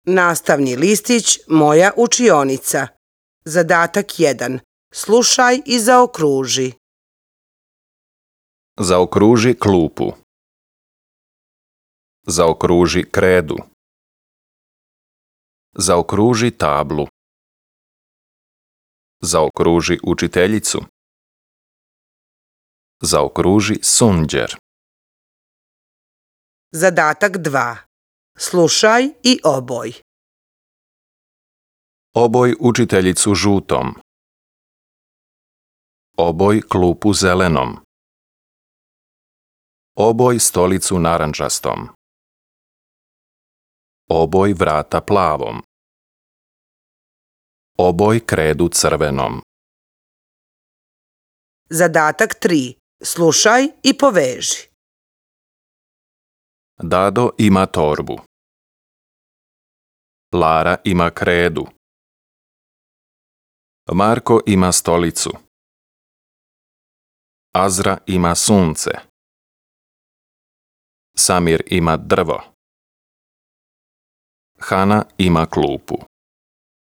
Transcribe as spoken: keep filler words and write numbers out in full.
Nastavni listić Moja učionica. Zadatak jedan. Slušaj i zaokruži. Zaokruži klupu. Zaokruži kredu. Zaokruži tablu. Zaokruži učiteljicu. Zaokruži sunđer. Zadatak dva. Slušaj i oboj. Oboj učiteljicu žutom. Oboj klupu zelenom. Oboj stolicu narandžastom. Oboj vrata plavom. Oboj kredu crvenom. Zadatak tri. Slušaj i poveži. Dado ima torbu. Lara ima kredu. Marko ima stolicu. Azra ima sunce. Samir ima drvo. Hana ima klupu.